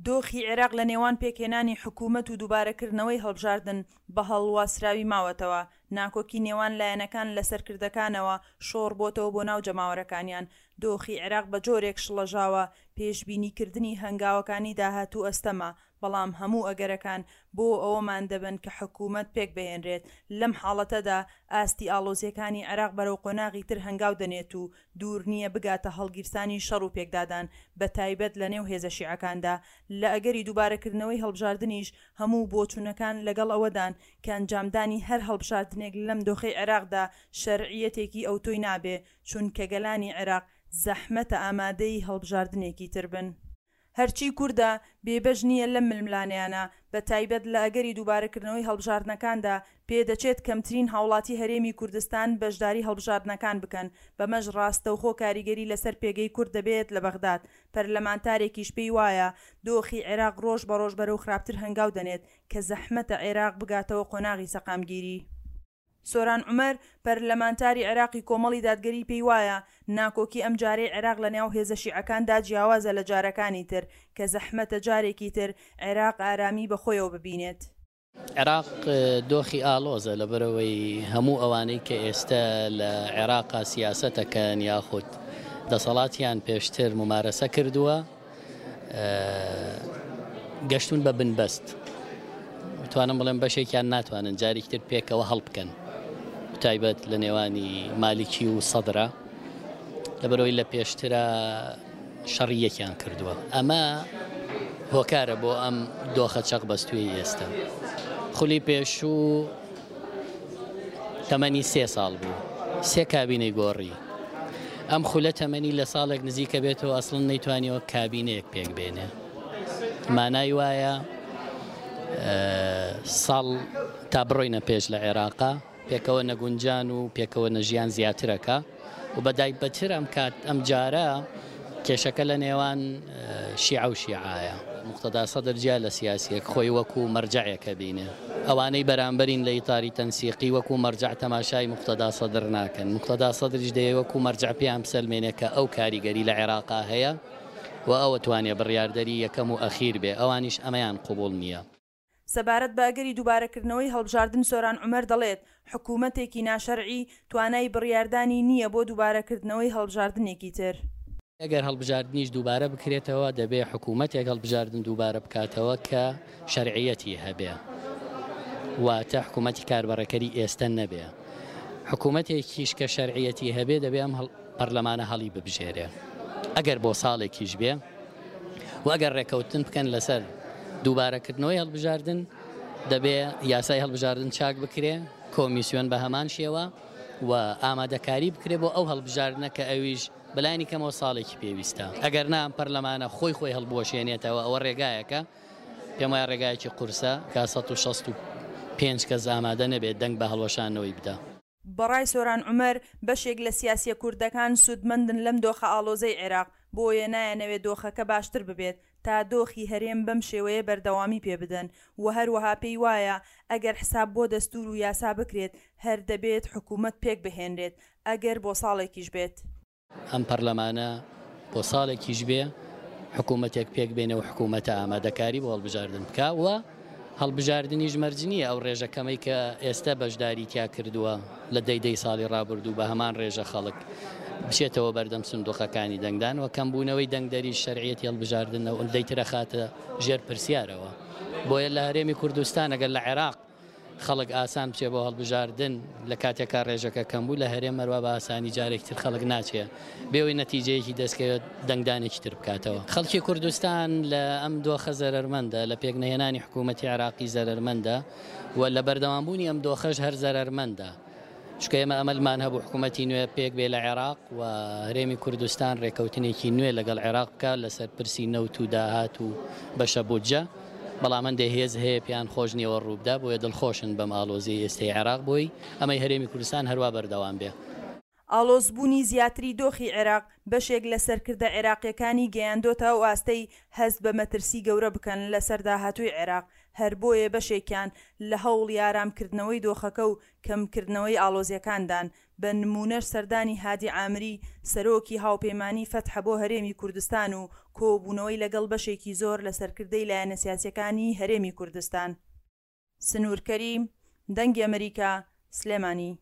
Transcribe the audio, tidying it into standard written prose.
دۆخی عێراق لە نێوان پێکهێنانی حکوومەت و دووبارەکردنەوەی هەڵبژاردن بە هەڵواسراوی ماوەتەوە، ناکۆکی نێوان لایەنەکان لە سەرکردەکانەوە شۆڕ بۆتەوە بۆ ناو جەماوەرەکانیان، دۆخی عێراق بە جۆرێک شڵەژاوە پێشبینیکردنی هەنگاوەکانی داهاتوو ئەستەمە، بەڵام هەموو ئەگەرەکان بۆ ئەوەمان دەبەن کە حکوومەت پێکبهێنرێت، لەم حاڵەتەدا ئاستی ئاڵۆزییەکانی عێراق بەرەو قۆناغی تر هەنگاو دەنێت و دوور نییە بگاتە هەڵگیرسانی شەڕ و پێکدادان، بەتایبەت لەنێو هێزە شیعەکاندا. لە ئەگەری دووبارەکردنەوەی هەڵبژاردنیش، هەموو بۆچوونەکان لەگەڵ ئەوەدان کە ئەنجامدانی هەر هەڵبژاردنێک لەم دۆخەی عێراقدا شەرعییەتێکی ئەوتۆی نابێ، چونکە گەلانی عێراق زەحمەتە ئامادەی هەڵبژاردنێکی تر بن. هەرچی کوردە بێبەش نییە لەم ململانێیانە، بەتایبەت لە ئەگەری دووبارەکردنەوەی هەڵبژاردنەکاندا، پێدەچێت کەمترین هاوڵاتی هەرێمی کوردستان بەشداری هەڵبژاردنەکان بکەن، بەمەش ڕاستەوخۆ کاریگەری لەسەر پێگەی کورد دەبێت لە بەغداد. پەرلەمانتارێکیش پێی وایە، دۆخی عێراق ڕۆژ بە ڕۆژ بەرەو خراپتر هەنگاو دەنێت، کە زەحمەتە عێراق بگاتەوە قۆناغی سەقامگیری. سۆران عومەر، پەرلەمانتاری عێراقی کۆمەڵی دادگەری پێیوایە، ناکۆکی ئەمجارەی عێراق لەنێو هێزە شیعەکاندا جیاوازە لە جارەکانی تر، کە زەحمەتە جارێکی تر عێراق ئارامی بەخۆیەوە ببینێت. عێراق دۆخی ئاڵۆزە لەبەرئەوەی هەموو ئەوانەی کە ئێستە لە عێراقا سیاسەتەکەن یاخود دەسەڵاتیان پێشتر مومارەسە کردووە، گەشتون بە بنبەست توانم بڵێم بەشێکیان ناتوانن جارێکتر پێکەوە هەڵبکەن تایبەت لە نێوانی مالیکی و سەدرا لەبەرەوەی لە پێشترا شەڕی یەکیان کردووە ئەمە هۆکارە بۆ ئەم دۆخە چەق بەستوی ئێستا خولی پێشوو تەمەنی سێ ساڵ بوو سێ کابینەی گۆڕی ئەم خولە تەمەنی لە ساڵێک نزیکە بێتەوە ئەسڵن نەیتوانیەوە کابینەیەک پێک بێنێ مانای وایە ساڵ تا بڕۆینە پێش لە عێراقا پێکەوە نەگونجان و پێکەوە نەژیان زیاترەکە و بە دایبەتر ئەم کات ئەم جارە کێشەکە لە نێوان شیعە و شیعایە. موقتەدا سەدر جیا لە سیاسیەک خۆی وەکو مەرجەعێک ئەبینێ. ئەوانەی بەرامبەرین لە ئیتاری تەنسیقی وەکو مەرجەع تەماشای موقتەدا سەدر ناکەن. موقتەدا سەدریش دەیەوێ وەکو مەرجەع پێیان بسەلمێنێ کە ئەو کاریگەری لە عێراقا هەیە و ئەو ئەتوانێ بڕیاردەری یەکەم و ئەخیر بێ. ئەوانیش ئەمەیان قبوڵ نییە. سەبارەت بە ئەگەری دووبارەکردنەوەی هەڵبژاردن سۆران عومەر دەڵێت، حکومەتێکی ناشەرعی توانای بڕیاردانی نییە بۆ دووبارەکردنەوەی هەڵبژاردنێکی تر. ئەگەر هەڵبژاردنیش دووبارە بکرێتەوە دەبێ حکومەتێک هەڵبژاردن دووبارە بکاتەوە کە شەرعیەتی هەبێ واتە حکومەتی کاربەڕێکەری ئێستە نەبێ. حکومەتێکیش کە شەرعیەتی هەبێ دەبێ ئەم پەرلەمانە هەڵی ببژێرێ ئەگەر بۆ ساڵێکیش بێ. و ئەگەر ڕێکەوتن بکەن لەسەر دووبارەکردنەوەی هەڵبژاردن دەبێ یاسای هەڵبژاردن چاک بکرێ کۆمیسیۆن بە هەمان شێوە و ئامادەکاری بکرێ بۆ ئەو هەڵبژاردنە کە ئەویش بەلایەنی کەمەوە ساڵێکی پێویستە ئەگەر نا ئەم پەرلەمانە خۆی خۆی هەڵبوەشێنێتەوە ئەوە ڕێگایەکە پێم وایە ڕێگایەکی قورسە کە 165 کەس ئامادە نەبێت دەنگ بە هەڵوەشاندنەوەی بدا. بەڕای سۆران عومەر، بەشێک لە سیاسییە کوردەکان سوودمەندن لەم دۆخە ئاڵۆزەی عێراق، بۆیە نایانەوێت دۆخەکە باشتر ببێت تا دۆخی هەرێم بەم شێوەیە بەردەوامی پێ بدەن و هەروەها پێی وایە ئەگەر حساب بۆ دەستوور و یاسا بکرێت هەر دەبێت حکوومەت پێکبهێنرێت ئەگەر بۆ ساڵێکیش بێت. ئەم پەرلەمانە بۆ ساڵێکیش بێ حکوومەتێک پێک بێنێ و حکوومەتە ئامادەکاری بۆ هەڵبژاردن بکا و هەڵبژاردنیش مەرج نییە ئەو ڕێژە کەمەی کە ئێستە بەشداری تیا کردووە لە دەی دەی ساڵی ڕابردوو بە هەمان ڕێژە خەڵک بچێتەوە بەردەم سندوقەکانی دەنگدان و کەمبوونەوەی دەنگدەریش شەرعیەتی هەڵبژاردن ئەوەندەی تر ئەخاتە ژێر پرسیارەوە بۆیە لە هەرێمی کوردستان ئەگەر لە عێراق خەڵک ئاسان بچێ بۆ هەڵبژاردن لە کاتێکا ڕێژەکە کەم بوو لە هەرێم هەروا بە ئاسانی جارێکی تر خەڵک ناچێ بێ ئەوەی نەتیجەیەکی دەستکەوێت دەنگدانێکی تر بکاتەوە. خەڵکی کوردستان لە ئەم دۆخە زەرەرمەندە، لە پێکنەهێنانی حکوومەتی عێراقی زەرەرمەندە و لە بەردەوامبوونی ئەم دۆخەش هەر زەرەرمەندە. چونکە ئێمە ئەمەلمان هەبوو حکوومەتی نوێ پێک بێ لە عێراق و هەرێمی کوردستان رێکەوتنێکی نوێ لەگەڵ عێراق بکات لەسەر پرسی نەوت و داهات و بەشە بودجە، بەڵام هەندێ هێز هەیە پێیان خۆش نییە وە رووبدا، بۆیە دڵخۆشن بەم ئاڵۆزیەی ئێستەی عێراق بۆی ئەمەی هەرێمی کوردستان هەروا بەردەوام بێ. ئاڵۆزبوونی زیاتری دۆخی عێراق بەشێک لە سەرکردە عێراقییەکانی گەیاندۆتە ئەو ئاستەی هەست بە مەترسی گەورە بکەن لەسەر داهاتووی عێراق، هەر بۆیە بەشێکیان لە هەوڵی ئارامکردنەوەی دۆخەکە و کەمکردنەوەی ئاڵۆزییەکاندان. بە نموونەش سەردانی هادی عامری سەرۆکی هاوپەیمانی فەتح بۆ هەرێمی کوردستان و کۆبوونەوەی لەگەڵ بەشێکی زۆر لە سەرکردەی لایەنە سیاسیەکانی هەرێمی کوردستان. سنوور کەریم، دەنگی ئەمریکا، سلێمانی.